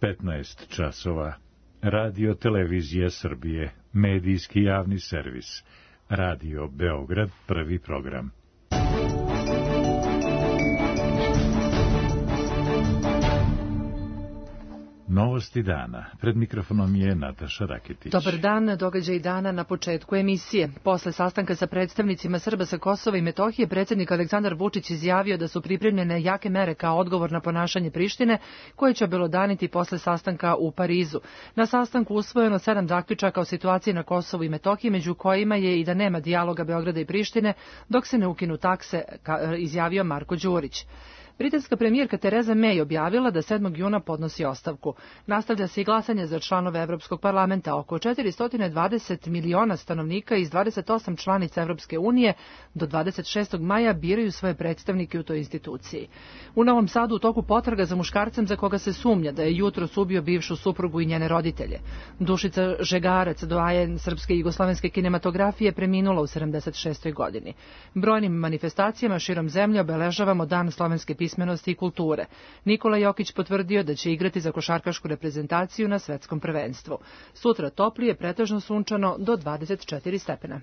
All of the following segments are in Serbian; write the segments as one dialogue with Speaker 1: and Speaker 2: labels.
Speaker 1: 15 časova. Radio Televizija Srbije, medijski javni servis. Radio Beograd, prvi program. Novosti dana. Pred mikrofonom je Nataša Raketić.
Speaker 2: Dobar dan, događaj dana na početku emisije. Posle sastanka sa predstavnicima Srba sa Kosova i Metohije, predsjednik Aleksandar Vučić izjavio da su pripremljene jake mere kao odgovor na ponašanje Prištine, koje će obelodaniti posle sastanka u Parizu. Na sastanku usvojeno 7 zaključaka o situaciji na Kosovu i Metohiji, među kojima je i da nema dijaloga Beograda i Prištine dok se ne ukinu takse, izjavio Marko Đurić. Britanska premijerka Tereza May objavila da 7. juna podnosi ostavku. Nastavlja se i glasanje za članove Evropskog parlamenta. Oko 420 miliona stanovnika iz 28 članica Evropske unije do 26. maja biraju svoje predstavnike u toj instituciji. U Novom Sadu u toku potraga za muškarcem za koga se sumnja da je jutros ubio bivšu suprugu i njene roditelje. Dušica Žegarac, doajen srpske i jugoslovenske kinematografije, preminula u 76. godini. Brojnim manifestacijama širom zemlje obeležavamo Dan slovenske pismenosti i kulture. Nikola Jokić potvrdio da će igrati za košarkašku reprezentaciju na svetskom prvenstvu. Sutra toplije, pretežno sunčano do 24 stepena.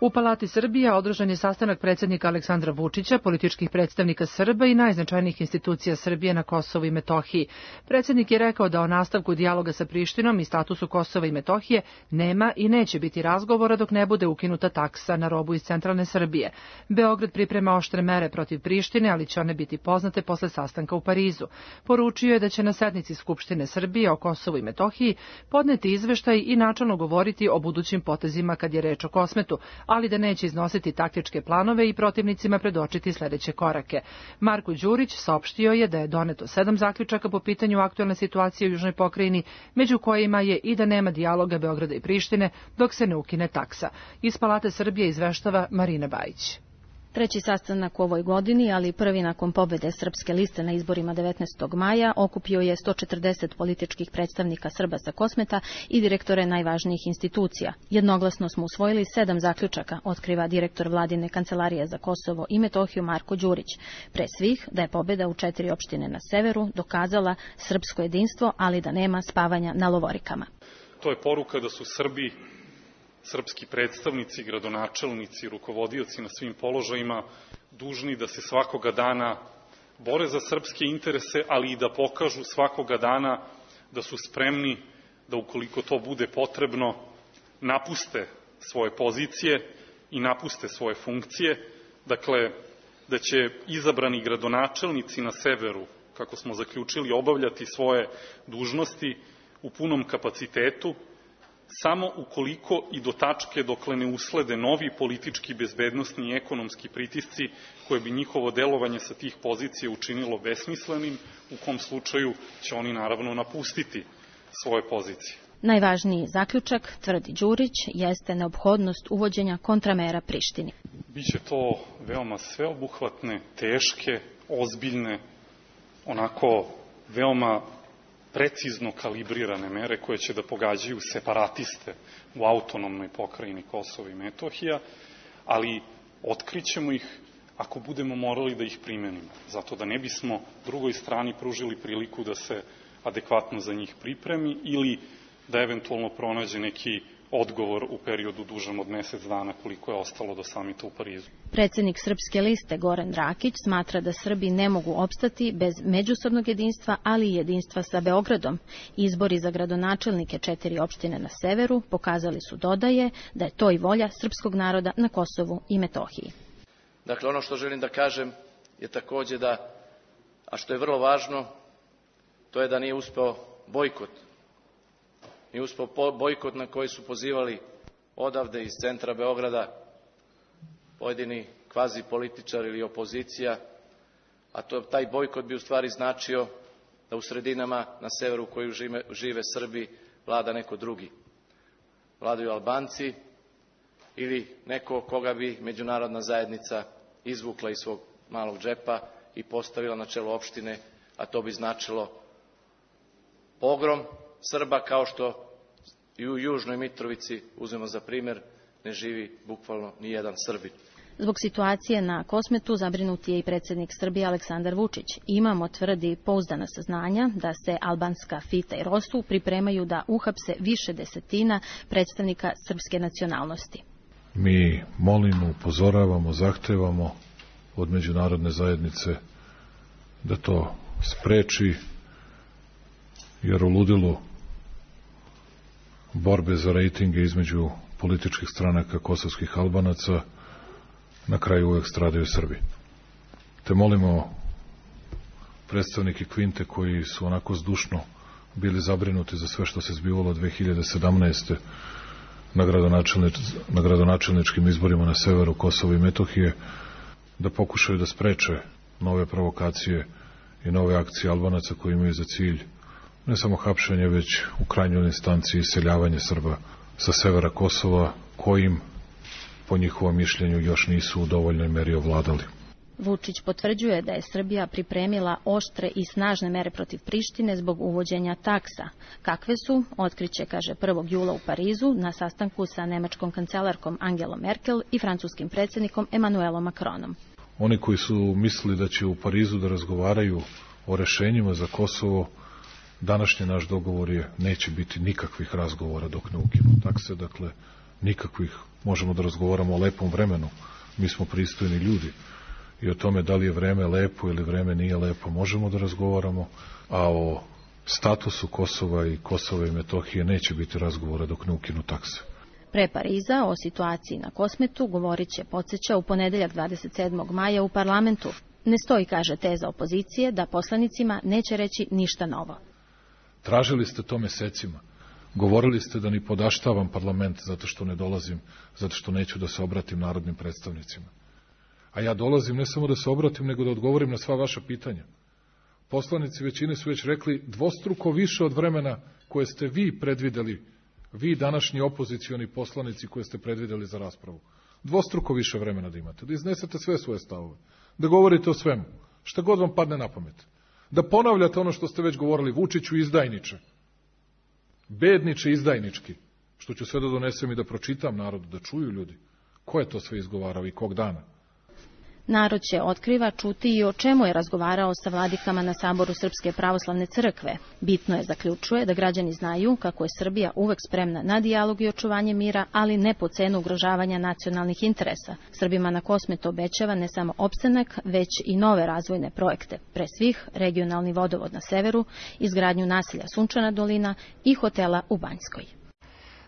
Speaker 2: U Palati Srbija održan je sastanak predsjednika Aleksandra Vučića, političkih predstavnika Srba i najznačajnijih institucija Srbije na Kosovu i Metohiji. Predsjednik je rekao da o nastavku dijaloga sa Prištinom i statusu Kosova i Metohije nema i neće biti razgovora dok ne bude ukinuta taksa na robu iz centralne Srbije. Beograd priprema oštre mere protiv Prištine, ali će one biti poznate posle sastanka u Parizu. Poručio je da će na sednici Skupštine Srbije o Kosovu i Metohiji podneti izveštaj i načelno govoriti o budućim potezima kad je reč o Kosmetu, ali da neće iznositi taktičke planove i protivnicima predočiti sljedeće korake. Marko Đurić saopštio je da je doneto 7 zaključaka po pitanju aktualne situacije u Južnoj pokrajini, među kojima je i da nema dijaloga Beograda i Prištine dok se ne ukine taksa. Iz Palate Srbije izveštava Marina Bajić.
Speaker 3: Treći sastanak u ovoj godini, ali prvi nakon pobjede Srpske liste na izborima 19. maja, okupio je 140 političkih predstavnika Srba sa Kosmeta i direktore najvažnijih institucija. Jednoglasno smo usvojili 7 zaključaka, otkriva direktor Vladine kancelarije za Kosovo i Metohiju Marko Đurić. Pre svih da je pobjeda u 4 opštine na severu dokazala srpsko jedinstvo, ali da nema spavanja na lovorikama.
Speaker 4: To je poruka da su Srbi, srpski predstavnici, gradonačelnici, rukovodioci na svim položajima dužni da se svakoga dana bore za srpske interese, ali i da pokažu svakoga dana da su spremni da, ukoliko to bude potrebno, napuste svoje pozicije i napuste svoje funkcije. Dakle, da će izabrani gradonačelnici na severu, kako smo zaključili, obavljati svoje dužnosti u punom kapacitetu, samo ukoliko i do tačke dokle ne uslede novi politički, bezbednosni i ekonomski pritisci koje bi njihovo delovanje sa tih pozicija učinilo besmislenim, u kom slučaju će oni naravno napustiti svoje pozicije.
Speaker 3: Najvažniji zaključak, tvrdi Đurić, jeste neophodnost uvođenja kontramera Prištini.
Speaker 4: Biće to veoma sveobuhvatne, teške, ozbiljne, onako veoma precizno kalibrirane mere koje će da pogađaju separatiste u autonomnoj pokrajini Kosovo i Metohija, ali otkrićemo ih ako budemo morali da ih primenimo, zato da ne bismo drugoj strani pružili priliku da se adekvatno za njih pripremi ili da eventualno pronađe neki odgovor u periodu dužem od mjesec dana koliko je ostalo do samita u Parizu.
Speaker 3: Predsjednik Srpske liste Goran Rakić smatra da Srbi ne mogu opstati bez međusobnog jedinstva, ali i jedinstva sa Beogradom. Izbori za gradonačelnike 4 opštine na severu pokazali su, dodaje, da je to i volja srpskog naroda na Kosovu i Metohiji.
Speaker 5: Dakle, ono što želim da kažem je takođe da, a što je vrlo važno, to je da nije uspeo bojkot. Nije uspeo bojkot na koji su pozivali odavde iz centra Beograda pojedini kvazi političari ili opozicija, a taj bojkot bi u stvari značio da u sredinama na severu u koju žive Srbi vlada neko drugi. Vladaju Albanci ili neko koga bi međunarodna zajednica izvukla iz svog malog džepa i postavila na čelo opštine, a to bi značilo pogrom Srba, kao što i u Južnoj Mitrovici, uzmemo za primjer, ne živi bukvalno ni jedan Srbin.
Speaker 3: Zbog situacije na Kosmetu zabrinut je i predsjednik Srbije Aleksandar Vučić. Imamo, tvrdi, pouzdana saznanja da se albanska Fita i Rosu pripremaju da uhapse više desetina predstavnika srpske nacionalnosti.
Speaker 6: Mi molimo, upozoravamo, zahtevamo od međunarodne zajednice da to spreči, jer u ludilu borbe za rejtinge između političkih stranaka kosovskih Albanaca na kraju uvek stradaju Srbi. Te molimo predstavnike Kvinte koji su onako zdušno bili zabrinuti za sve što se zbivalo 2017. na gradonačelničkim izborima na severu Kosova i Metohije, da pokušaju da spreče nove provokacije i nove akcije Albanaca koji imaju za cilj ne samo hapšenje, već u krajnjoj instanciji iseljavanje Srba sa severa Kosova, kojim, po njihovom mišljenju, još nisu u dovoljnoj meri ovladali.
Speaker 3: Vučić potvrđuje da je Srbija pripremila oštre i snažne mere protiv Prištine zbog uvođenja taksa. Kakve su, otkriće, kaže, 1. jula u Parizu na sastanku sa nemačkom kancelarkom Angelom Merkel i francuskim predsjednikom Emmanuelom Macronom.
Speaker 6: Oni koji su mislili da će u Parizu da razgovaraju o rešenjima za Kosovo, današnji naš dogovor je neće biti nikakvih razgovora dok ne ukinu takse, dakle nikakvih. Možemo da razgovaramo o lepom vremenu, mi smo pristojni ljudi i o tome da li je vreme lepo ili vreme nije lepo možemo da razgovaramo, a o statusu Kosova i Kosova i Metohije neće biti razgovora dok ne ukinu takse.
Speaker 3: Pre Pariza o situaciji na Kosmetu govorit će, podsjeća, u ponedeljak 27. maja u parlamentu. Ne stoji, kaže, teza opozicije da poslanicima neće reći ništa novo.
Speaker 6: Tražili ste to mesecima. Govorili ste da ni podaštavam parlament zato što ne dolazim, zato što neću da se obratim narodnim predstavnicima. A ja dolazim ne samo da se obratim, nego da odgovorim na sva vaša pitanja. Poslanici većine su već rekli dvostruko više od vremena koje ste vi predvideli, vi današnji opozicioni poslanici koje ste predvideli za raspravu. Dvostruko više vremena da imate, da iznesete sve svoje stavove, da govorite o svemu, šta god vam padne na pamet. Da ponavljate ono što ste već govorili, Vučiću izdajniče, bedniče izdajnički, što ću sve da donesem i da pročitam narodu, da čuju ljudi. Ko je to sve izgovarao i kog dana?
Speaker 3: Narod će, otkriva, čuti i o čemu je razgovarao sa vladikama na saboru Srpske pravoslavne crkve. Bitno je, zaključuje, da građani znaju kako je Srbija uvek spremna na dijalog i očuvanje mira, ali ne po cenu ugrožavanja nacionalnih interesa. Srbima na Kosmetu obećava ne samo opstanak, već i nove razvojne projekte. Pre svih, regionalni vodovod na severu, izgradnju naselja Sunčana dolina i hotela u Banjskoj.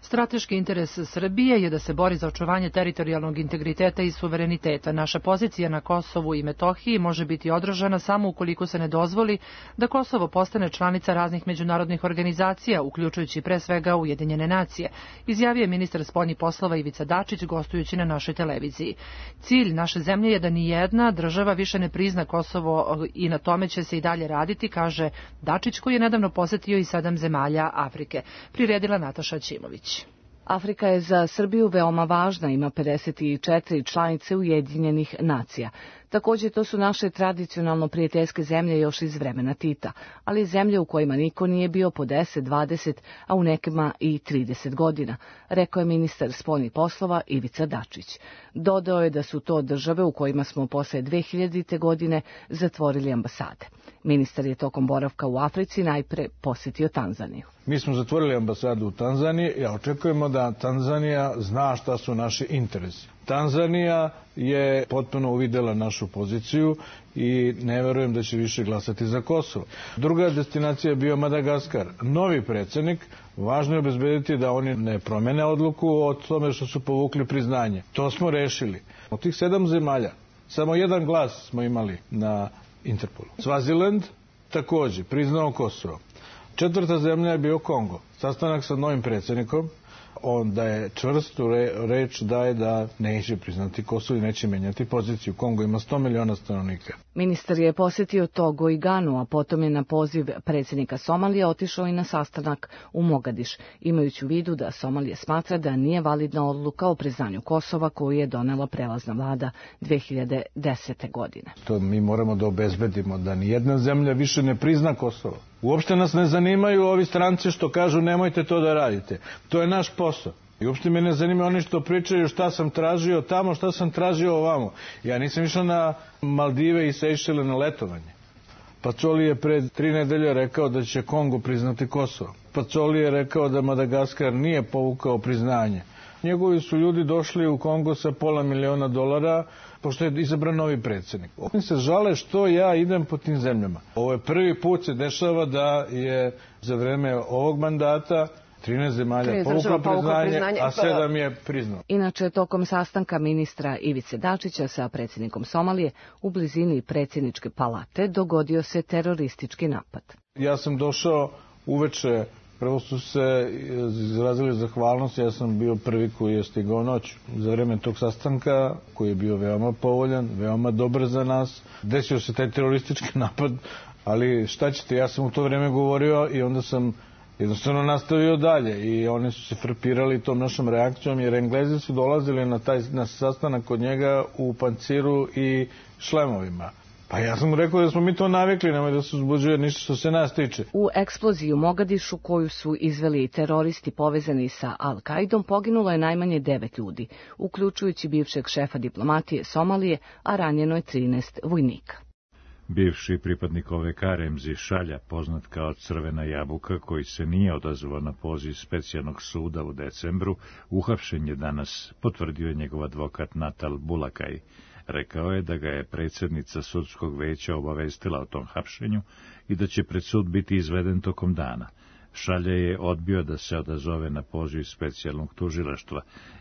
Speaker 2: Strateški interes Srbije je da se bori za očuvanje teritorijalnog integriteta i suvereniteta. Naša pozicija na Kosovu i Metohiji može biti održana samo ukoliko se ne dozvoli da Kosovo postane članica raznih međunarodnih organizacija, uključujući pre svega Ujedinjene nacije, izjavio je ministar spoljnih poslova Ivica Dačić gostujući na našoj televiziji. Cilj naše zemlje je da ni jedna država više ne prizna Kosovo i na tome će se i dalje raditi, kaže Dačić, koji je nedavno posetio i 7 zemalja Afrike. Priredila Nataša Ćimović.
Speaker 7: Afrika je za Srbiju veoma važna, ima 54 članice Ujedinjenih nacija. Također to su naše tradicionalno prijateljske zemlje još iz vremena Tita, ali zemlje u kojima niko nije bio po 10, 20, a u nekima i 30 godina, rekao je ministar spoljnih poslova Ivica Dačić. Dodao je da su to države u kojima smo posle 2000. godine zatvorili ambasade. Ministar je tokom boravka u Africi najpre posjetio Tanzaniju.
Speaker 8: Mi smo zatvorili ambasadu u Tanzaniji i očekujemo da Tanzanija zna šta su naši interesi. Tanzanija je potpuno uvidela našu poziciju i ne verujem da će više glasati za Kosovo. Druga destinacija je bio Madagaskar. Novi predsjednik, važno je obezbediti da oni ne promene odluku o tome što su povukli priznanje. To smo rešili. Od tih 7 zemalja, samo jedan glas smo imali na Interpolu. Svaziland također priznao Kosovo. 4. zemlja je bio Kongo. Sastanak sa novim predsjednikom, on da je čvrstu reč daje da neće priznati Kosovo i neće menjati poziciju. Kongo ima 100 miliona stanovnika.
Speaker 7: Ministar je posjetio Togo i Ganu, a potom je na poziv predsjednika Somalije otišao i na sastanak u Mogadiš, imajući u vidu da Somalija smatra da nije validna odluka o priznanju Kosova koju je donela prelazna vlada 2010. godine.
Speaker 8: To mi moramo da obezbedimo da nijedna zemlja više ne prizna Kosovo. Uopšte nas ne zanimaju ovi stranci što kažu nemojte to da radite. To je naš posao. I uopšte me ne zanima oni što pričaju šta sam tražio tamo, šta sam tražio ovamo. Ja nisam išao na Maldive i Sejšele na letovanje. Pacoli je pred 3 nedelje rekao da će Kongo priznati Kosovo. Pacoli je rekao da Madagaskar nije povukao priznanje. Njegovi su ljudi došli u Kongo sa $500.000, pošto je izabran novi predsjednik. Oni se žale što ja idem po tim zemljama. Ovo je prvi put se dešava da je za vreme ovog mandata 13 zemalja povuklo priznanje, a 7 je priznalo.
Speaker 7: Inače, tokom sastanka ministra Ivice Dačića sa predsjednikom Somalije u blizini predsjedničke palate dogodio se teroristički napad.
Speaker 8: Ja sam došao uveče, prvo su se izrazili zahvalnost, ja sam bio prvi koji je stigao noć. Za vreme tog sastanka, koji je bio veoma povoljan, veoma dobar za nas, desio se taj teroristički napad, ali šta ćete, ja sam u to vreme govorio i onda sam jednostavno nastavio dalje i oni su se frapirali tom našom reakcijom, jer Englezi su dolazili na sastanak kod njega u panciru i šlemovima. Pa ja sam mu rekao da smo mi to navikli, nemoj da se uzbuđuje ništa što se nas tiče.
Speaker 7: U eksploziji u Mogadišu koju su izveli teroristi povezani sa Al-Kaidom poginulo je najmanje 9 ljudi, uključujući bivšeg šefa diplomatije Somalije, a ranjeno je 13 vojnika.
Speaker 1: Bivši pripadnik OVK Remzi Šalja, poznat kao Crvena jabuka, koji se nije odazvao na poziv specijalnog suda u decembru, uhapšen je danas, potvrdio je njegov advokat Natal Bulakaj. Rekao je da ga je predsjednica sudskog veća obavestila o tom hapšenju i da će pred sud biti izveden tokom dana. Šalja je odbio da se odazove na poziv specijalnog tužilaštva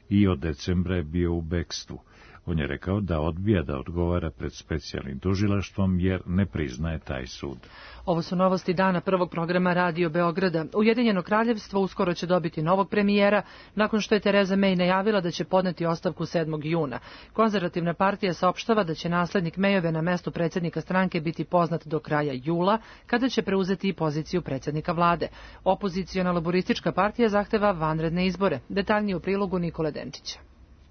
Speaker 1: i od decembra je bio u bekstvu. On je rekao da odbija da odgovara pred specijalnim tužilaštvom jer ne priznaje taj sud.
Speaker 2: Ovo su novosti dana prvog programa Radio Beograda. Ujedinjeno kraljevstvo uskoro će dobiti novog premijera nakon što je Tereza May najavila da će podneti ostavku 7. juna. Konzervativna partija saopštava da će naslednik Mayove na mestu predsjednika stranke biti poznat do kraja jula, kada će preuzeti i poziciju predsjednika vlade. Opoziciona laboristička partija zahteva vanredne izbore. Detaljnije u prilogu Nikole Denčića.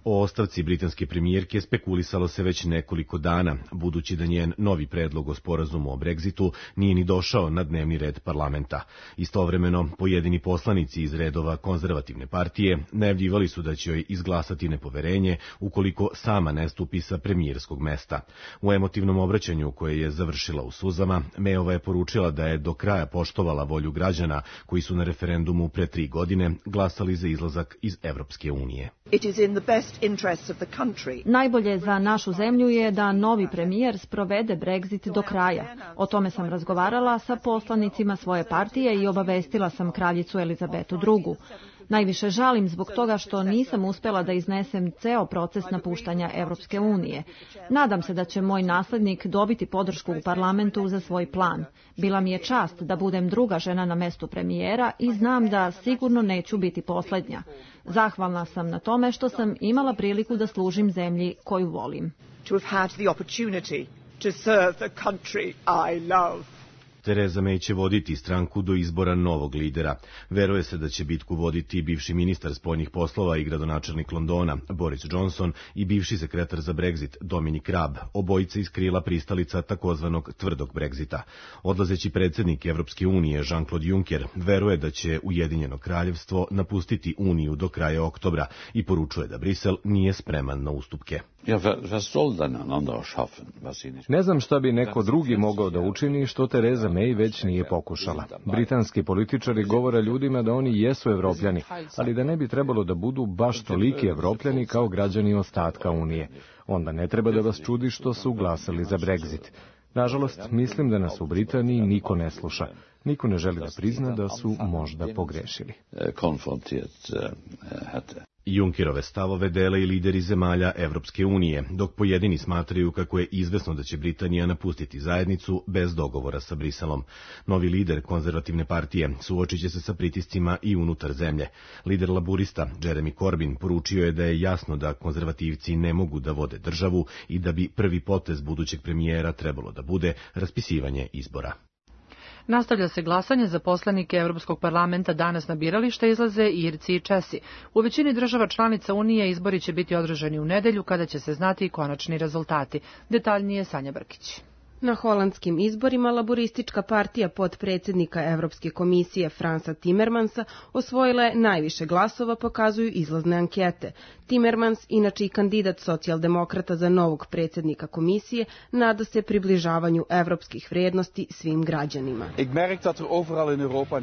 Speaker 9: O ostavci britanske premijerke spekulisalo se već nekoliko dana, budući da njen novi predlog o sporazumu o Brexitu nije ni došao na dnevni red parlamenta. Istovremeno, pojedini poslanici iz redova konzervativne partije najavljivali su da će joj izglasati nepoverenje ukoliko sama ne stupi sa premijerskog mesta. U emotivnom obraćanju koje je završila u suzama, Mayova je poručila da je do kraja poštovala volju građana koji su na referendumu pre 3 godine glasali za izlazak iz Evropske unije.
Speaker 10: Najbolje za našu zemlju je da novi premijer sprovede Brexit do kraja. O tome sam razgovarala sa poslanicima svoje partije i obavestila sam kraljicu Elizabetu II. Najviše žalim zbog toga što nisam uspela da iznesem ceo proces napuštanja Evropske unije. Nadam se da će moj naslednik dobiti podršku u parlamentu za svoj plan. Bila mi je čast da budem druga žena na mestu premijera i znam da sigurno neću biti posljednja. Zahvalna sam na tome što sam imala priliku da služim zemlji koju volim.
Speaker 9: Tereza May će voditi stranku do izbora novog lidera. Veruje se da će bitku voditi bivši ministar spoljnih poslova i gradonačelnik Londona, Boris Johnson, i bivši sekretar za Brexit, Dominic Raab, obojica iz krila pristalica takozvanog tvrdog Brexita. Odlazeći predsjednik Evropske unije, Jean-Claude Juncker, veruje da će Ujedinjeno kraljevstvo napustiti Uniju do kraja oktobra i poručuje da Brisel nije spreman na ustupke.
Speaker 11: Ne znam šta bi neko drugi mogao da učini što Tereza May već nije pokušala. Britanski političari govore ljudima da oni jesu Evropljani, ali da ne bi trebalo da budu baš toliki Evropljani kao građani ostatka Unije. Onda ne treba da vas čudi što su glasali za Brexit. Nažalost, mislim da nas u Britaniji niko ne sluša. Niko ne želi da prizna da su možda pogrešili.
Speaker 9: Junckerove stavove dele i lideri zemalja Evropske unije, dok pojedini smatraju kako je izvesno da će Britanija napustiti zajednicu bez dogovora sa Briselom. Novi lider konzervativne partije suočit će se sa pritiscima i unutar zemlje. Lider laburista Jeremy Corbyn poručio je da je jasno da konzervativci ne mogu da vode državu i da bi prvi potez budućeg premijera trebalo da bude raspisivanje izbora.
Speaker 2: Nastavlja se glasanje za poslanike Europskog parlamenta. Danas na birališta izlaze Irci i Česi. U većini država članica Unije izbori će biti održani u nedelju kada će se znati i konačni rezultati. Detaljnije Sanja Brkić.
Speaker 12: Na holandskim izborima laboristička partija potpredsjednika Evropske komisije Fransa Timmermansa osvojila je najviše glasova, pokazuju izlazne ankete. Timmermans, inače i kandidat socijaldemokrata za novog predsjednika komisije, nada se približavanju evropskih vrijednosti svim građanima.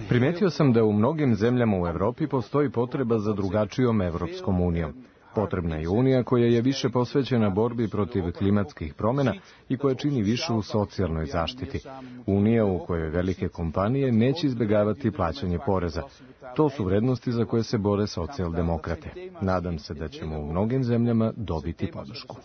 Speaker 11: Primetio sam da u mnogim zemljama u Evropi postoji potreba za drugačijom Evropskom unijom. Potrebna je unija koja je više posvećena borbi protiv klimatskih promjena i koja čini više u socijalnoj zaštiti. Unija u kojoj velike kompanije neće izbjegavati plaćanje poreza. To su vrednosti za koje se bore socijaldemokrate. Nadam se da ćemo u mnogim zemljama dobiti podršku.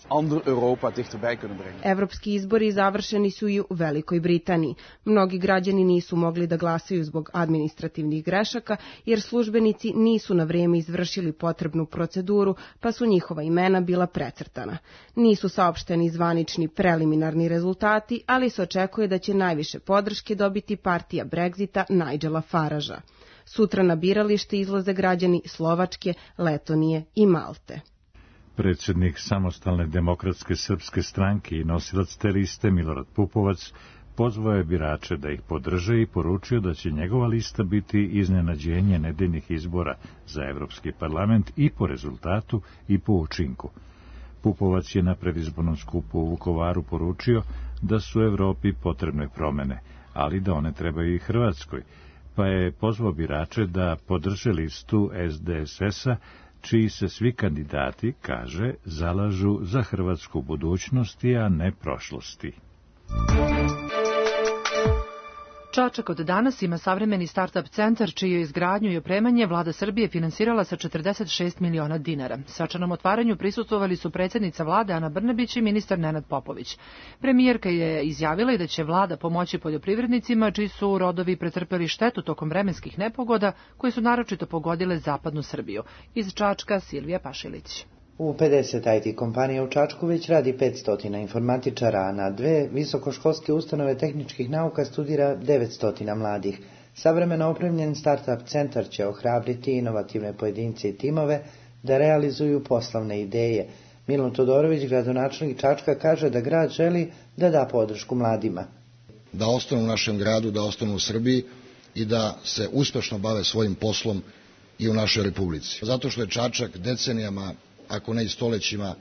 Speaker 12: Evropski izbori završeni su i u Velikoj Britaniji. Mnogi građani nisu mogli da glasaju zbog administrativnih grešaka, jer službenici nisu na vrijeme izvršili potrebnu proceduru, pa su njihova imena bila precrtana. Nisu saopšteni zvanični preliminarni rezultati, ali se očekuje da će najviše podrške dobiti partija Brexita Nigela Faragea. Sutra na biralište izlaze građani Slovačke, Letonije i Malte.
Speaker 1: Predsjednik Samostalne demokratske srpske stranke i nosilac te liste Milorad Pupovac pozvao je birače da ih podrže i poručio da će njegova lista biti iznenađenje nedeljnih izbora za Evropski parlament i po rezultatu i po učinku. Pupovac je na predizbornom skupu u Vukovaru poručio da su Evropi potrebne promene, ali da one trebaju i Hrvatskoj, pa je pozvao birače da podrže listu SDSS-a, čiji se svi kandidati, kaže, zalažu za hrvatsku budućnosti, a ne prošlosti.
Speaker 2: Čačak od danas ima savremeni start-up centar, čiju izgradnju i opremanje vlada Srbije finansirala sa 46 miliona dinara. Svečanom otvaranju prisustvovali su predsjednica vlade Ana Brnabić i ministar Nenad Popović. Premijerka je izjavila i da će vlada pomoći poljoprivrednicima, čiji su rodovi pretrpeli štetu tokom vremenskih nepogoda, koje su naročito pogodile zapadnu Srbiju. Iz Čačka Silvija Pašilić.
Speaker 13: U 50 IT kompanija u Čačku već radi 500 informatičara, a na 2 visokoškolske ustanove tehničkih nauka studira 900 mladih. Savremeno opremljen start-up centar će ohrabriti inovativne pojedince i timove da realizuju poslovne ideje. Milun Todorović, gradonačelnik Čačka, kaže da grad želi da da podršku mladima.
Speaker 14: Da ostanu u našem gradu, da ostanu u Srbiji i da se uspešno bave svojim poslom i u našoj republici. Zato što je Čačak decenijama, ako ne i stolećima,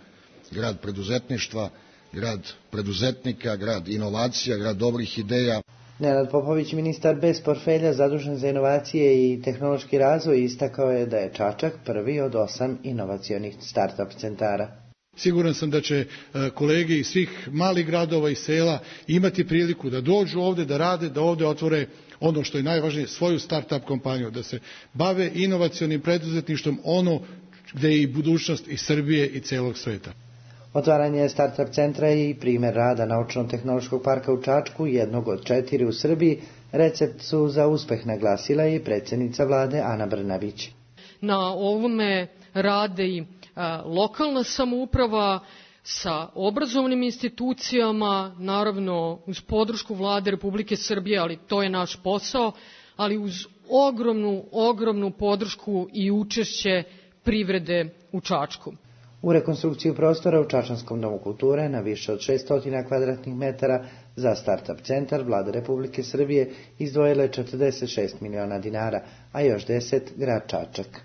Speaker 14: grad preduzetništva, grad preduzetnika, grad inovacija, grad dobrih ideja.
Speaker 13: Nenad Popović, ministar bez portfelja zadužen za inovacije i tehnološki razvoj, istakao je da je Čačak prvi od 8 inovacionih start-up centara.
Speaker 15: Siguran sam da će kolege iz svih malih gradova i sela imati priliku da dođu ovde, da rade, da ovde otvore ono što je najvažnije, svoju start-up kompaniju, da se bave inovacionim preduzetništvom, ono gde je i budućnost i Srbije i celog sveta.
Speaker 13: Otvaranje start-up centra je i primjer rada Naučno-tehnološkog parka u Čačku, jednog od 4 u Srbiji. Recept su za uspeh naglasila i predsjednica vlade Ana Brnabić.
Speaker 16: Na ovome rade i lokalna samouprava sa obrazovnim institucijama, naravno uz podršku vlade Republike Srbije, ali to je naš posao, ali uz ogromnu podršku i učešće privrede u Čačku.
Speaker 13: U rekonstrukciju prostora u Čačanskom domu kulture na više od 600 kvadratnih metara za start-up centar vlada Republike Srbije izdvojila je 46 miliona dinara, a još 10 grad Čačak.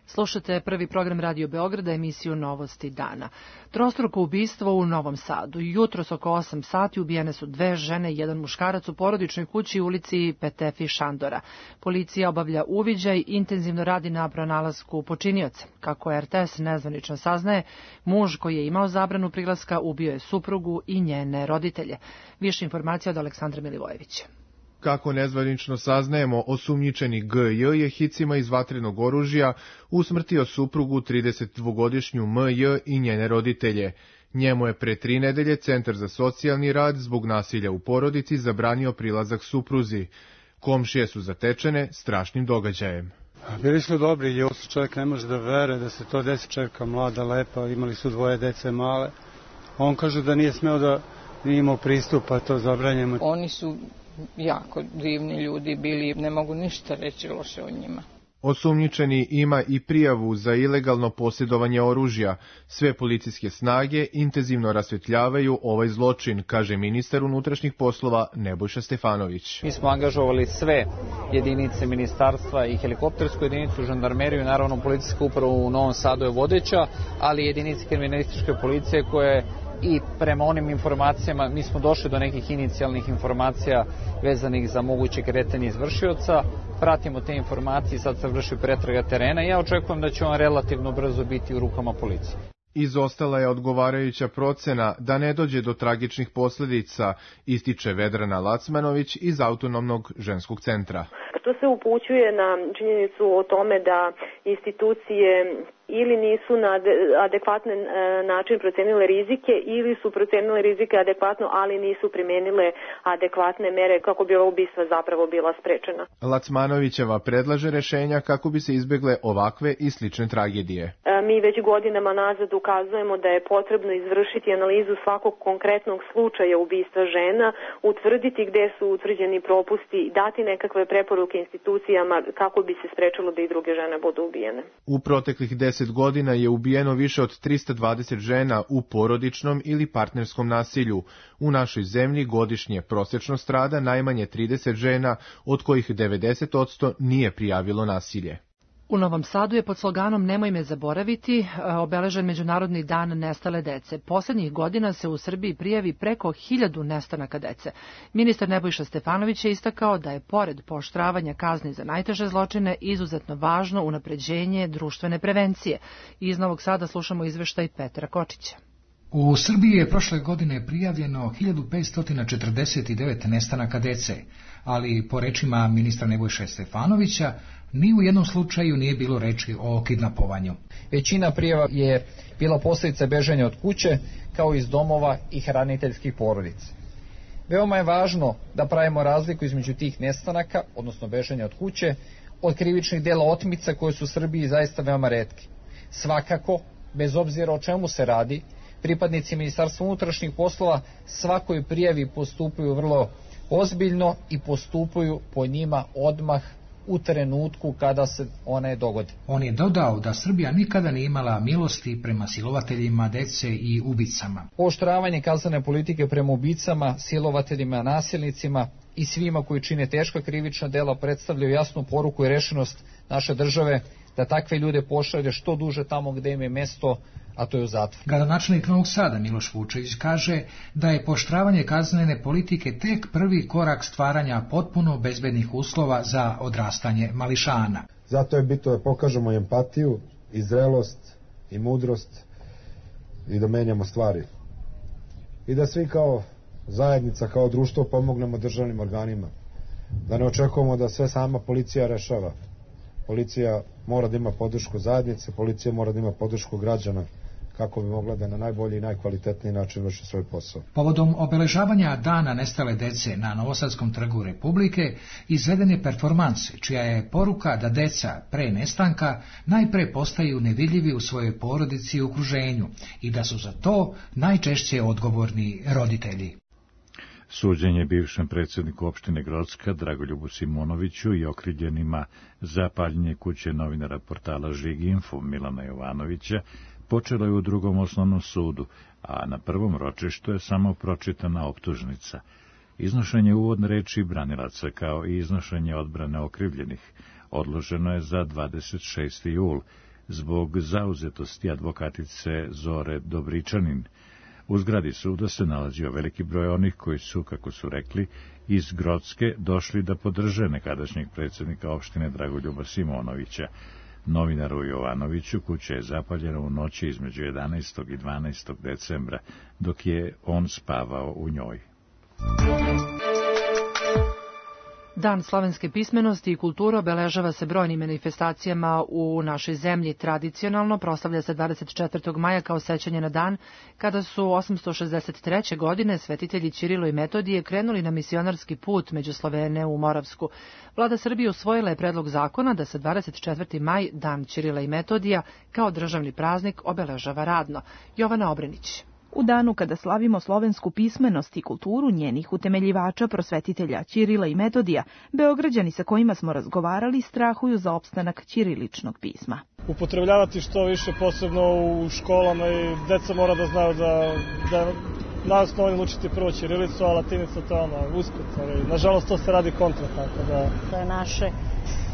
Speaker 2: Slušate prvi program Radio Beograda, emisiju Novosti dana. Trostruko ubistvo u Novom Sadu. Jutros oko 8 sati ubijene su 2 žene i 1 muškarac u porodičnoj kući u ulici Petefi Šandora. Policija obavlja uviđaj i intenzivno radi na pronalasku počinioca. Kako RTS nezvanično saznaje, muž koji je imao zabranu prilaska ubio je suprugu i njene roditelje. Više informacija od Aleksandra Milivojevića.
Speaker 17: Kako nezvanično saznajemo, osumnjičeni G.J. je hicima iz vatrenog oružja usmrtio suprugu 32-godišnju M.J. i njene roditelje. Njemu je pre 3 nedelje Centar za socijalni rad zbog nasilja u porodici zabranio prilazak supruzi. Komšije su zatečene strašnim događajem.
Speaker 18: Bili su dobri ljudi, čovjek ne može da veruje da se to desi, čerka mlada, lepa, imali su 2 dece male. On kaže da nije smeo da nije imao pristupa, to zabranjeno.
Speaker 19: Oni su jako divni ljudi bili, ne mogu ništa reći loše o njima.
Speaker 17: Osumnjičeni ima i prijavu za ilegalno posjedovanje oružja. Sve policijske snage intenzivno rasvetljavaju ovaj zločin, kaže ministar unutrašnjih poslova Nebojša Stefanović.
Speaker 19: Mi smo angažovali sve jedinice ministarstva i helikoptersku jedinicu, žandarmeriju, naravno policijska uprava u Novom Sadu je vodeća, ali jedinice kriminalističke policije koje i prema onim informacijama, mi smo došli do nekih inicijalnih informacija vezanih za moguće kretanje izvršioca, pratimo te informacije i sad se vrši pretraga terena i ja očekujem da će on relativno brzo biti u rukama policije.
Speaker 17: Izostala je odgovarajuća procena da ne dođe do tragičnih posljedica, ističe Vedrana Lacmanović iz Autonomnog ženskog centra.
Speaker 20: To se upućuje na činjenicu o tome da institucije ili nisu na adekvatni način procenile rizike ili su procenile rizike adekvatno, ali nisu primijenile adekvatne mere kako bi ova ubistva zapravo bila sprečena.
Speaker 17: Lacmanovićeva predlaže rešenja kako bi se izbegle ovakve i slične tragedije.
Speaker 20: Mi već godinama nazad ukazujemo da je potrebno izvršiti analizu svakog konkretnog slučaja ubistva žena, utvrditi gde su utvrđeni propusti, dati nekakve preporuke institucijama kako bi se sprečilo da i druge žene budu ubijene.
Speaker 17: U proteklih 10 godina je ubijeno više od 320 žena u porodičnom ili partnerskom nasilju. U našoj zemlji godišnje prosječno strada najmanje 30 žena, od kojih 90% nije prijavilo nasilje.
Speaker 2: U Novom Sadu je pod sloganom Nemoj me zaboraviti obeležen Međunarodni dan nestale dece. Poslednjih godina se u Srbiji prijavi preko 1000 nestanaka dece. Ministar Nebojša Stefanović je istakao da je pored pooštravanja kazni za najteže zločine izuzetno važno unapređenje društvene prevencije. Iz Novog Sada slušamo izveštaj Petra Kočića.
Speaker 21: U Srbiji je prošle godine prijavljeno 1549 nestanaka dece, ali po rečima ministra Nebojše Stefanovića ni u jednom slučaju nije bilo reči o kidnapovanju.
Speaker 19: Većina prijava je bila posljedica bežanja od kuće, kao iz domova i hraniteljskih porodica. Veoma je važno da pravimo razliku između tih nestanaka, odnosno bežanja od kuće, od krivičnih dela otmica koje su u Srbiji zaista veoma retki. Svakako, bez obzira o čemu se radi, pripadnici Ministarstva unutrašnjih poslova svakoj prijavi postupaju vrlo ozbiljno i postupaju po njima odmah u trenutku kada se one dogode.
Speaker 21: On je dodao da Srbija nikada nije imala milosti prema silovateljima dece i ubicama.
Speaker 19: Pooštravanje kaznene politike prema ubicama, silovateljima, nasilnicima i svima koji čine teška krivična dela predstavljaju jasnu poruku i rešenost naše države da takve ljude pošalje što duže tamo gde im je mesto, a to je u zatvor.
Speaker 21: Gradonačelnik Novog Sada Miloš Vučević kaže da je pooštravanje kaznene politike tek prvi korak stvaranja potpuno bezbednih uslova za odrastanje mališana.
Speaker 22: Zato je bitno da pokažemo empatiju i zrelost i mudrost i da menjamo stvari. I da svi kao zajednica, kao društvo pomognemo državnim organima. Da ne očekujemo da sve sama policija rešava. Policija mora da ima podršku zajednice, policija mora da ima podršku građana kako bi mogla da na najbolji i najkvalitetniji način vrši svoj posao.
Speaker 21: Povodom obeležavanja Dana nestale dece na Novosadskom trgu Republike izveden je performans, čija je poruka da deca pre nestanka najpre postaju nevidljivi u svojoj porodici i okruženju i da su za to najčešće odgovorni roditelji.
Speaker 1: Suđenje bivšem predsjedniku opštine Grocka Dragoljubu Simonoviću i okrivljenima za paljenje kuće novinara portala Žiginfo Milana Jovanovića počelo je u Drugom osnovnom sudu, a na prvom ročištu je samo pročitana optužnica. Iznošenje uvodne reči branilaca kao i iznošenje odbrane okrivljenih odloženo je za 26. jul zbog zauzetosti advokatice Zore Dobričanin. U zgradi suda se nalazio veliki broj onih koji su, kako su rekli, iz Grocke došli da podrže nekadašnjeg predsjednika opštine Dragoljuba Simonovića. Novinaru Jovanoviću kuća je zapaljena u noći između 11. i 12. decembra, dok je on spavao u njoj.
Speaker 2: Dan slovenske pismenosti i kulture obeležava se brojnim manifestacijama u našoj zemlji. Tradicionalno proslavlja se 24. maja kao sećanje na dan kada su 863. godine svetitelji Ćirilo i Metodije krenuli na misionarski put među Slovene u Moravsku. Vlada Srbije usvojila je predlog zakona da se 24. maj, dan Ćirila i Metodija, kao državni praznik obeležava radno. Jovana Obrenić.
Speaker 4: u danu kada slavimo slovensku pismenost i kulturu njenih utemeljivača, prosvetitelja Ćirila i Metodija, Beograđani sa kojima smo razgovarali strahuju za opstanak ćiriličnog pisma.
Speaker 5: Upotrebljavati što više, posebno u školama, i deca mora da znaju da nas novim učiti prvo ćirilicu, a latinica to je usput. Nažalost, to se radi kontra, tako da...
Speaker 23: To je naše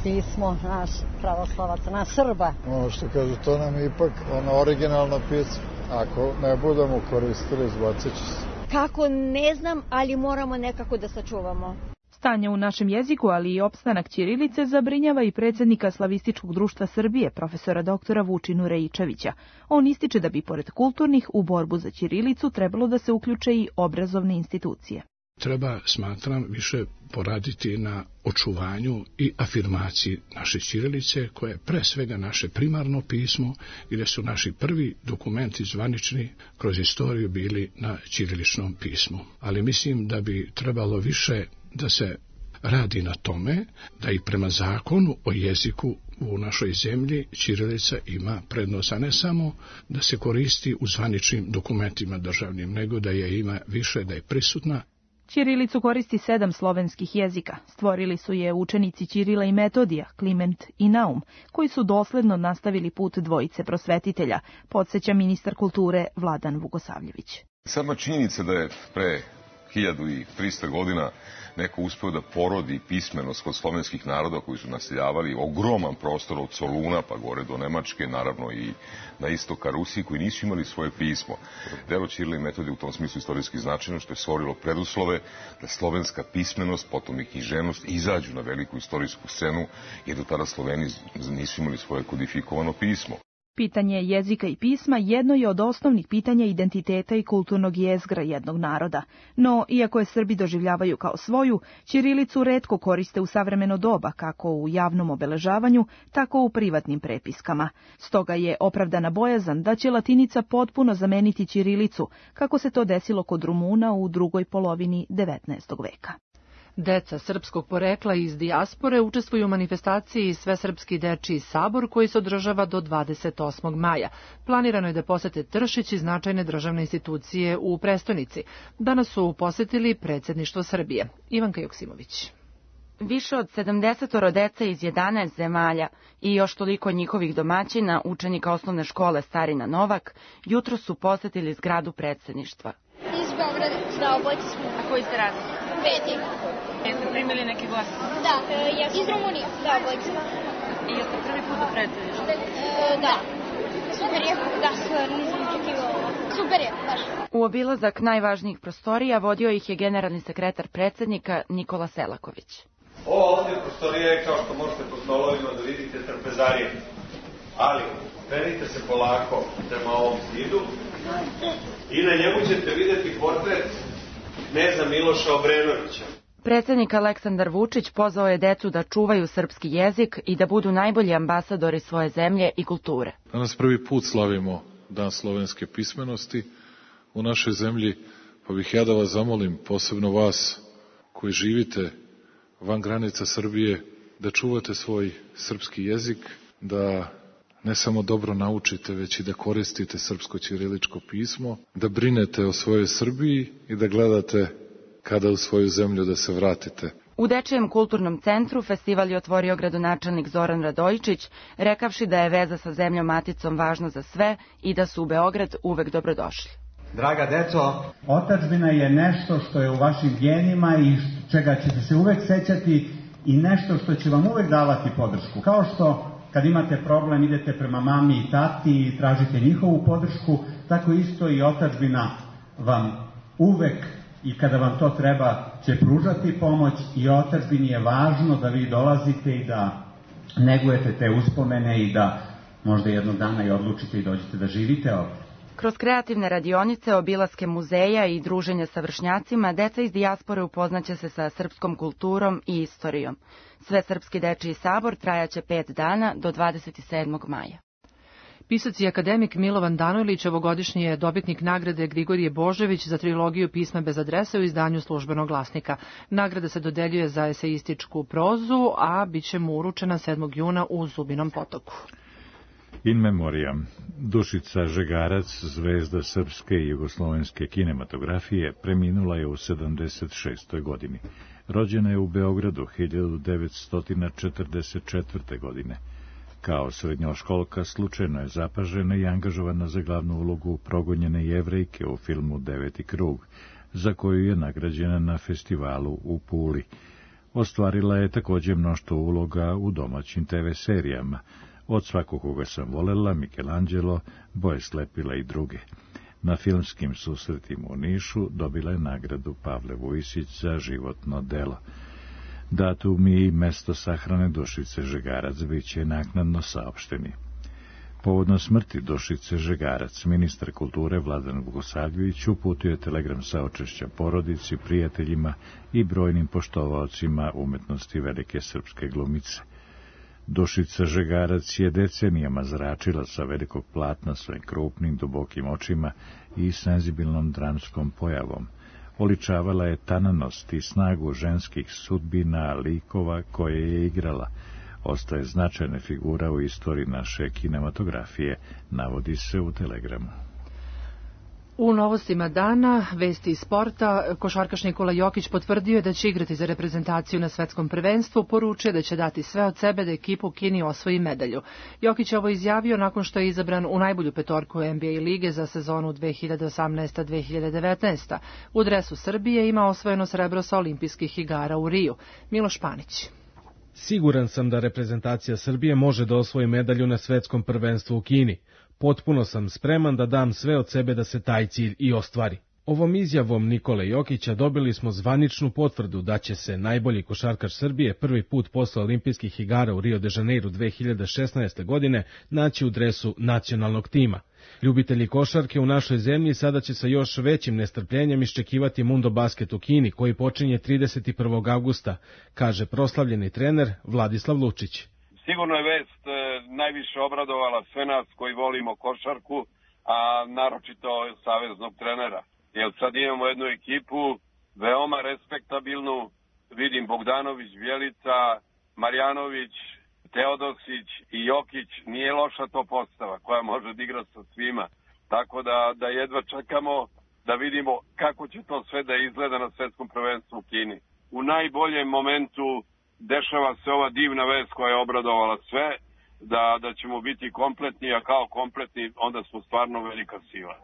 Speaker 23: pismo, naš pravoslavaca, naš Srba.
Speaker 24: Ono što kažu, to nam je ipak originalno pismo. Ako ne budemo koristili, zbacit će se.
Speaker 23: Kako, ne znam, ali moramo nekako da sačuvamo.
Speaker 4: Stanje u našem jeziku, ali i opstanak ćirilice zabrinjava i predsjednika Slavističkog društva Srbije, profesora doktora Vučinu Rejičevića. On ističe da bi pored kulturnih u borbu za ćirilicu trebalo da se uključe i obrazovne institucije.
Speaker 25: Treba, smatram, više poraditi na očuvanju i afirmaciji naše ćirilice, koje je pre svega naše primarno pismo, gdje su naši prvi dokumenti zvanični kroz istoriju bili na ćiriličnom pismu. Ali mislim da bi trebalo više da se radi na tome da i prema zakonu o jeziku u našoj zemlji ćirilica ima prednost, a ne samo da se koristi u zvaničnim dokumentima državnim, nego da je ima više, da je prisutna.
Speaker 4: Ćirilicu koristi 7 slovenskih jezika. Stvorili su je učenici Ćirila i Metodija, Kliment i Naum, koji su dosledno nastavili put dvojice prosvetitelja, podsjeća ministar kulture Vladan Vukosavljević.
Speaker 26: Sama činjenica da je pre 1300 godina neko uspeo da porodi pismenost kod slovenskih naroda koji su naseljavali ogroman prostor od Soluna pa gore do Nemačke, naravno i na istok ka Rusiji, koji nisu imali svoje pismo. Delo Ćirila i Metodija u tom smislu istorijski značajno, što je stvorilo preduslove da slovenska pismenost, potom i književnost izađu na veliku istorijsku scenu, jer do tada Sloveni nisu imali svoje kodifikovano pismo.
Speaker 4: Pitanje jezika i pisma jedno je od osnovnih pitanja identiteta i kulturnog jezgra jednog naroda. No, iako je Srbi doživljavaju kao svoju, ćirilicu retko koriste u savremeno doba, kako u javnom obeležavanju, tako u privatnim prepiskama. Stoga je opravdana bojazan da će latinica potpuno zameniti ćirilicu, kako se to desilo kod Rumuna u drugoj polovini 19. veka.
Speaker 2: Deca srpskog porekla iz dijaspore učestvuju u manifestaciji Svesrpski dečiji sabor koji se održava do 28. maja. Planirano je da posete Tršić i značajne državne institucije u prestonici. Danas su posetili predsjedništvo Srbije. Ivanka Joksimović.
Speaker 27: Više od 70 dece iz 11 zemalja i još toliko njihovih domaćina, učenika osnovne škole Starina Novak, jutro su posetili zgradu predsjedništva.
Speaker 28: Iz Beograda, da, obojci smo.
Speaker 27: A koji ste razli?
Speaker 28: Peti.
Speaker 27: Jeste primili neki glas?
Speaker 28: Da, iz Rumunije, da, obojci.
Speaker 27: I jeste prvi put u predsjedništvu?
Speaker 28: Da. Super je, da, nisam očekivala. Super je, baš.
Speaker 27: U obilazak najvažnijih prostorija vodio ih je generalni sekretar predsjednika Nikola Selaković.
Speaker 29: Ovo ovdje prostorija je, kao što možete po stolovima da vidite, trpezarije. Ali, krenite se polako prema ovom zidu i na njemu ćete vidjeti portret kneza Miloša Obrenovića.
Speaker 27: Predsjednik Aleksandar Vučić pozvao je decu da čuvaju srpski jezik i da budu najbolji ambasadori svoje zemlje i kulture.
Speaker 6: Danas prvi put slavimo Dan slovenske pismenosti u našoj zemlji, pa bih ja da vas zamolim, posebno vas koji živite van granica Srbije, da čuvate svoj srpski jezik, da ne samo dobro naučite, već i da koristite srpsko ćiriličko pismo, da brinete o svojoj Srbiji i da gledate kada u svoju zemlju da se vratite.
Speaker 27: U Dečijem kulturnom centru festival je otvorio gradonačelnik Zoran Radojičić, rekavši da je veza sa zemljom maticom važna za sve i da su u Beograd uvek dobrodošli.
Speaker 30: Draga deco, otadžbina je nešto što je u vašim genima i čega ćete se uvek sećati i nešto što će vam uvek davati podršku. Kao što kad imate problem idete prema mami i tati i tražite njihovu podršku, tako isto i otadžbina vam uvek i kada vam to treba će pružati pomoć i otadžbini je važno da vi dolazite i da negujete te uspomene i da možda jednog dana i odlučite i dođete da živite ovdje.
Speaker 27: Kroz kreativne radionice, obilaske muzeja i druženja sa vršnjacima, deca iz dijaspore upoznaće se sa srpskom kulturom i istorijom. Svesrpski dečiji sabor trajaće 5 dana do 27. maja.
Speaker 2: Pisac i akademik Milovan Danojlić ovogodišnji je dobitnik nagrade Grigorije Božević za trilogiju Pisma bez adrese u izdanju Službenog glasnika. Nagrada se dodeljuje za eseističku prozu, a bit će mu uručena 7. juna u Zubinom Potoku.
Speaker 1: In memoriam, Dušica Žegarac, zvezda srpske i jugoslovenske kinematografije, preminula je u 76. godini. Rođena je u Beogradu 1944. godine. Kao srednjoškolka slučajno je zapažena i angažovana za glavnu ulogu progonjene Jevrejke u filmu Deveti krug, za koju je nagrađena na festivalu u Puli. Ostvarila je također mnoštvo uloga u domaćim TV serijama, Od svakog koga sam volela, Michelangelo, Boje slepila i druge. Na filmskim susretima u Nišu dobila je nagradu Pavle Vujisić za životno delo. Datum i mesto sahrane Dušice Žegarac bit će naknadno saopšteni. Povodno smrti Dušice Žegarac, ministar kulture Vladan Vukosavljević uputio je telegram saučešća porodici, prijateljima i brojnim poštovaocima umetnosti velike srpske glumice. Dušica Žegarac je decenijama zračila sa velikog platna svojim krupnim, dubokim očima i senzibilnom dramskom pojavom. Oličavala je tananost i snagu ženskih sudbina, likova koje je igrala. Ostaje značajna figura u istoriji naše kinematografije, navodi se u telegramu.
Speaker 2: U novostima dana, vesti iz sporta, košarkaš Nikola Jokić potvrdio je da će igrati za reprezentaciju na svetskom prvenstvu, poručuje da će dati sve od sebe da ekipa u Kini osvoji medalju. Jokić je ovo izjavio nakon što je izabran u najbolju petorku NBA lige za sezonu 2018-2019. U dresu Srbije ima osvojeno srebro sa olimpijskih igara u Riju. Miloš Panić.
Speaker 3: Siguran sam da reprezentacija Srbije može da osvoji medalju na svetskom prvenstvu u Kini. Potpuno sam spreman da dam sve od sebe da se taj cilj i ostvari. Ovom izjavom Nikole Jokića dobili smo zvaničnu potvrdu da će se najbolji košarkaš Srbije prvi put posle olimpijskih igara u Rio de Janeiru 2016. godine naći u dresu nacionalnog tima. Ljubitelji košarke u našoj zemlji sada će sa još većim nestrpljenjem iščekivati Mundo Basket u Kini, koji počinje 31. avgusta, kaže proslavljeni trener Vladislav Lučić.
Speaker 7: Sigurno je vest najviše obradovala sve nas koji volimo košarku, a naročito saveznog trenera. Jer sad imamo jednu ekipu veoma respektabilnu, vidim Bogdanović, Bjelica, Marjanović, Teodosić i Jokić, nije loša to postava koja može da igra sa svima. Tako da jedva čekamo da vidimo kako će to sve da izgleda na svetskom prvenstvu u Kini. U najboljem momentu dešava se ova divna vest koja je obradovala sve, da ćemo biti kompletni, a kao kompletni onda smo stvarno velika sila.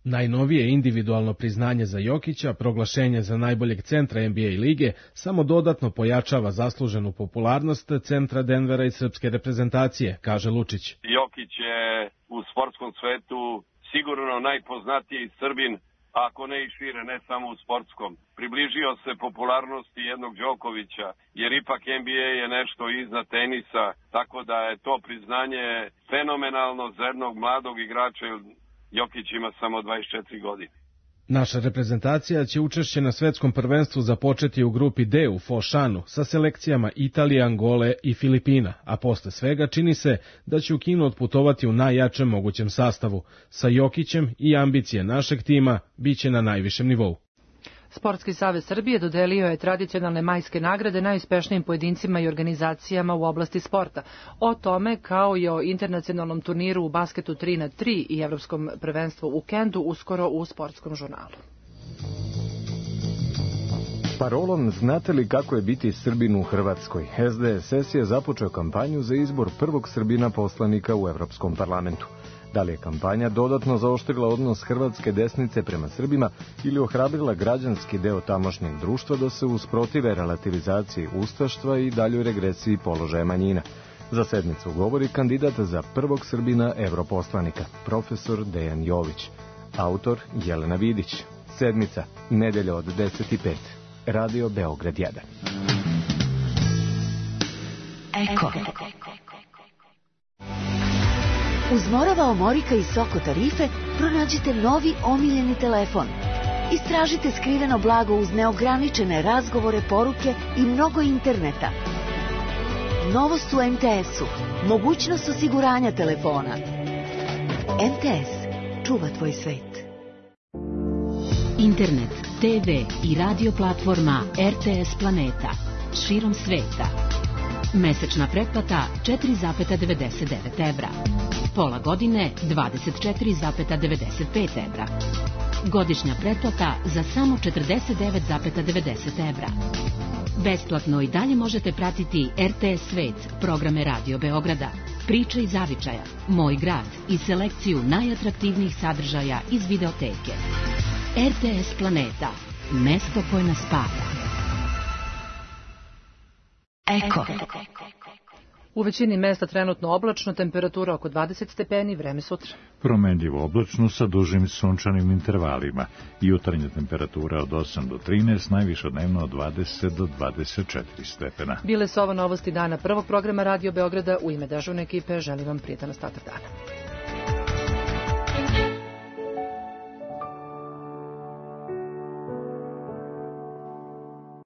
Speaker 3: Najnovije individualno priznanje za Jokića, proglašenje za najboljeg centra NBA lige, samo dodatno pojačava zasluženu popularnost centra Denvera i srpske reprezentacije, kaže Lučić.
Speaker 7: Jokić je u sportskom svetu sigurno najpoznatiji Srbin, ako ne i šire, ne samo u sportskom. Približio se popularnosti jednog Đokovića, jer ipak NBA je nešto iznad tenisa, tako da je to priznanje fenomenalno za jednog mladog igrača. Jokić ima samo 24 godine.
Speaker 3: Naša reprezentacija će učešće na svetskom prvenstvu započeti u grupi D u Fošanu sa selekcijama Italije, Angole i Filipina, a posle svega čini se da će u Kinu otputovati u najjačem mogućem sastavu. Sa Jokićem i ambicije našeg tima biće na najvišem nivou.
Speaker 2: Sportski savez Srbije dodelio je tradicionalne majske nagrade najuspešnijim pojedincima i organizacijama u oblasti sporta. O tome, kao i o internacionalnom turniru u basketu 3x3 i evropskom prvenstvu u Kendu, uskoro u sportskom žurnalu.
Speaker 8: Parolom "Znate li kako je biti Srbin u Hrvatskoj?" SDSS je započeo kampanju za izbor prvog Srbina poslanika u Evropskom parlamentu. Da li je kampanja dodatno zaoštrila odnos hrvatske desnice prema Srbima ili ohrabrila građanski deo tamošnjeg društva da se usprotive relativizaciji ustaštva i daljoj regresiji položaja manjina? Za sedmicu govori kandidat za prvog Srbina europoslanika, profesor Dejan Jović. Autor Jelena Vidić. Sedmica, nedelja od 10:05. Radio Beograd 1.
Speaker 9: Eko. Uz Morava Omorika i Soko tarife pronađite novi omiljeni telefon. Istražite skriveno blago uz neograničene razgovore, poruke i mnogo interneta. Novost u MTS-u. Mogućnost osiguranja telefona. MTS. Čuva tvoj svet.
Speaker 10: Internet, TV i radio platforma RTS Planeta. Širom sveta. Mesečna pretplata 4,99 evra. Pola godine 24,95 evra. Godišnja pretplata za samo 49,90 evra. Besplatno i dalje možete pratiti RTS Svet, programe Radio Beograda, Priče iz Zavičaja, Moj grad i selekciju najatraktivnijih sadržaja iz videoteke. RTS Planeta, mesto koje nas spaja.
Speaker 9: Eko.
Speaker 2: U većini mesta trenutno oblačno, temperatura oko 20 stepeni, vreme sutra.
Speaker 1: Promenljivo oblačno sa dužim sunčanim intervalima. Jutarnja temperatura od 8 do 13, najviše dnevno od 20 do 24 stepena.
Speaker 2: Bile su ovo novosti dana prvog programa Radio Beograda. U ime dežurne ekipe želim vam prijetan ostatak dana.